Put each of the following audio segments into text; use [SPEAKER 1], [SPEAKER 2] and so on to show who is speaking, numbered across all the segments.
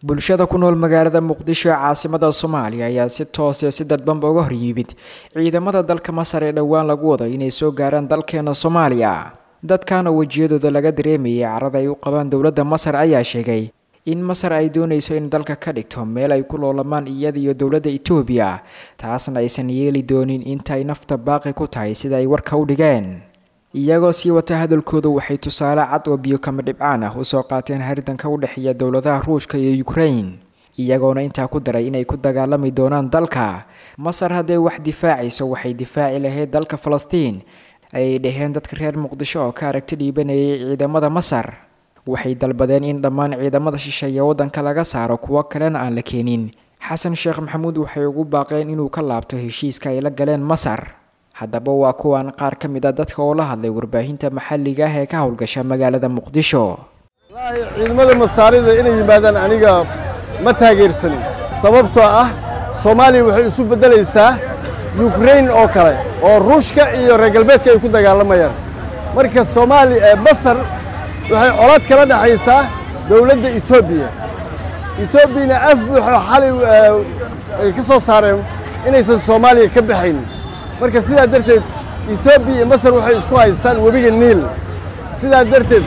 [SPEAKER 1] Bulshada ku nool magaalada Muqdisho ee caasimada Soomaaliya ayaa si toos iyo si dadbanba uga hor yimid ciidamada dalka Masar ee dhowaan lagu wado inay soo gaaraan dalkeena Soomaaliya. Dadkan oo wejiyadooda laga dareemayay carada ay u qabaan dowladda Masar ayaa sheegay in Masar ay doonayso in dalka ka dhigto meel ay ku loolamaan iyada iyo dowladda Itoobiya, taasna aysan yeeli doonin inta ay nafta baaqi ku tahay, sida ay warka u dhigeen. Iyagoo sii wata hadalkooda, waxay tusaale cad oo biyo kama dhibcaan ah usoo qaateen haridanka u dhexeeya dowladaha Ruushka iyo Ukraine, iyagoona intaa ku daray inay ku dagaalami doonaan dalka Masar. Hadday wax difaacayso, waxay difaaci lahayd dalka Falastiin, ayay dhaheen dadka reer Muqdisho oo ka aragti dhiibanayay ciidamada Masar. Waxay dalbadeen in dhammaan ciidamada shisheeye waddanka laga saaro, kuwo kalena aan la keenin. Xasan Sheekh Maxamuud waxay ugu baaqeen inuu ka laabto heshiiska ay la galeen Masar. Haddaba waa kuwan qaar ka mid a dadka oo la hadlay warbaahinta maxalliga ah ee ka howlgasha magaalada Muqdisho.
[SPEAKER 2] Wallaahi, ciidamada Masaarida inay yimaadaan aniga ma taageersanin, sababtoo ah Soomaaliya waxay isu beddelaysaa Yukrain oo kale oo Ruushka iyo reer galbeedka ay ku dagaalamayaan. Marka Soomaaliya, Masar waxay colaad kala dhexaysaa dowladda Etoobiya. Etoobiyana af buuxo xalay ay ka soo saareen inaysan Soomaaliya ka baxaynin. Marka sidaa darteed Etoobiya iyo Masar waxay isku haystaan webiga Niil. Sidaa darteed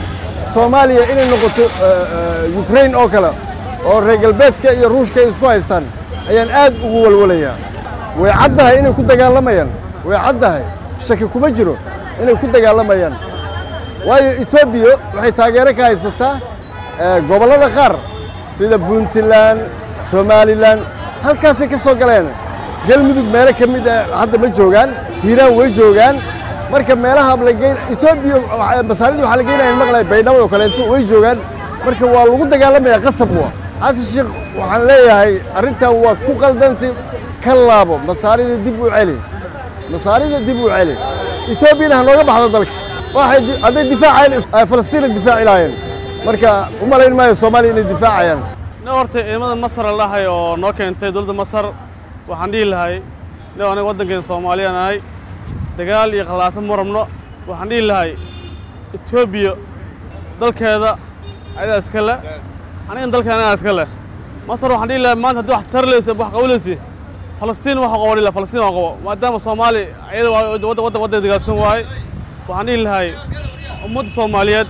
[SPEAKER 2] Soomaaliya inay noqoto Ukrain oo kale oo reer galbeedka iyo Ruushka ay isku haystaan ayaan aad ugu walwalayaa. Way caddahay inay ku dagaalamayaan, way caddahay, shaki kuma jiro inay ku dagaalamayaan, waayo Etoobiya waxay taageero ka haysataa gobollada qaar sida Puntland, Somalilan, halkaasay ka soo galeen. Galmudug meelo ka mid ah hadda ma joogaan, Hiiraan way joogaan. Marka meelaha la geyn Etoobiya, Masaarida waxaa la geynaya maqlay Baydhabo oo kaleeto way joogaan. Marka waa lagu dagaalamaya, qasab wa. Xasan Sheekh waxaan leeyahay, arrintan waad ku qaldantay, ka laabo, Masaarida dib u celi, Masaarida dib u celi, Etoobiyana ha nooga baxdo dalka. Waxay hadday difaacayeen Falastiina difaaci lahaayeen, marka u malayn maayo Soomaaliya inay difaacayaan.
[SPEAKER 3] Ne horta ciidamada Masar la dhahay oo noo keentay dowladda Masar, waxaan dhihi lahay ne aniga waddankeena Soomaaliya nahay, dagaal iyo khalaafo ma rabno. Waxaan dhihi lahay Etoobiya dalkeeda ayadaa iska le, anigan dalkeena anagaa iska leh. Masar waxaan dhihi lahay, maanta haddii wax tarleysa, wax qabanaysa, Falastiin waxa qabo dhihi lahay, Falastiin waa qabo, maadaama Soomaali iyada waddan waddan waddan dagaalsan waaye. Waxaan dhihi lahay ummadda Soomaaliyeed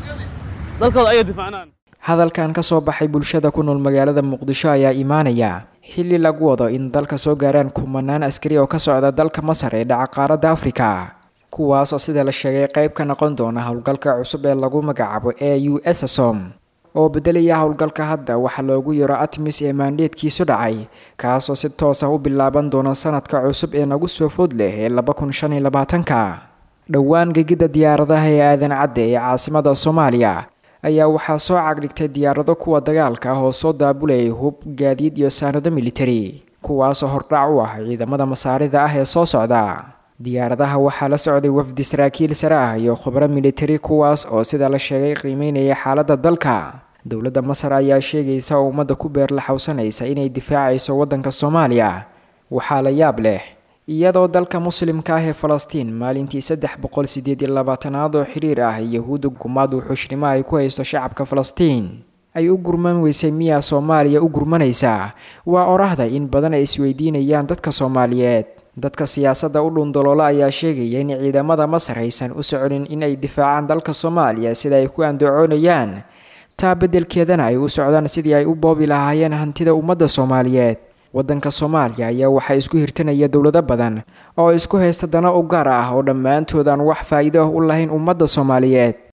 [SPEAKER 3] dalkooda ayay difaacnaan.
[SPEAKER 1] Hadalkan ka soo baxay bulshada ku nool magaalada Muqdisho ayaa imaanaya xilli lagu wado in dalka soo gaaraan kumanaan askari oo ka socda dalka Masar ee dhaca qaaradda Afrika, kuwaas oo sida la sheegay qayb ka noqon doona howlgalka cusub ee lagu magacaabo e u s som, oo bedelaya howlgalka hadda waxaa loogu yaro ATMIS ee maandheedkiisu dhacay, kaasoo si toos ah u bilaaban doona sanadka cusub ee nagu soo food leh ee 2025-ka. Dhowaan gegida diyaaradaha ee Aadan Cadde ee caasimada Soomaaliya ayaa waxaa soo cagdhigtay diyaarado kuwa dagaalka ah oo soo daabulayay hub, gaadiid iyo saanado militari, kuwaasoo hordhac u ah ciidamada Masaarida ah ee soo socda. Diyaaradaha waxaa la socday wafdi saraakiil sare ah iyo khubro militari, kuwaas oo sida la sheegay qiimeynaya xaaladda dalka. Dowladda Masar ayaa sheegaysa oo ummadda ku beerlaxawsanaysa inay difaacayso waddanka Soomaaliya. Waxaa la yaab leh, iyadoo dalka muslimka ah ee Falastiin maalintii 328aad oo xiriir ah Yahuudda gumaad wuxuushnimo ay ku haysto shacabka Falastiin ay u gurman weysay, miyaa Soomaaliya u gurmanaysaa? Waa orahda in badan ay isweydiinayaan dadka Soomaaliyeed. Dadka siyaasadda u dhundaloola ayaa sheegaya in ciidamada Masar aysan u soconin in ay difaacaan dalka Soomaaliya sida ay ku andacoonayaan, taa beddelkeedana ay u socdaan sidii ay u boobi lahaayeen hantida ummadda Soomaaliyeed. Waddanka Soomaaliya ayaa waxaa isku hirtanaya dowlado badan oo isku haysta dano u gaar ah oo dhammaantood aan wax faa'iido ah u lahayn ummadda Soomaaliyeed.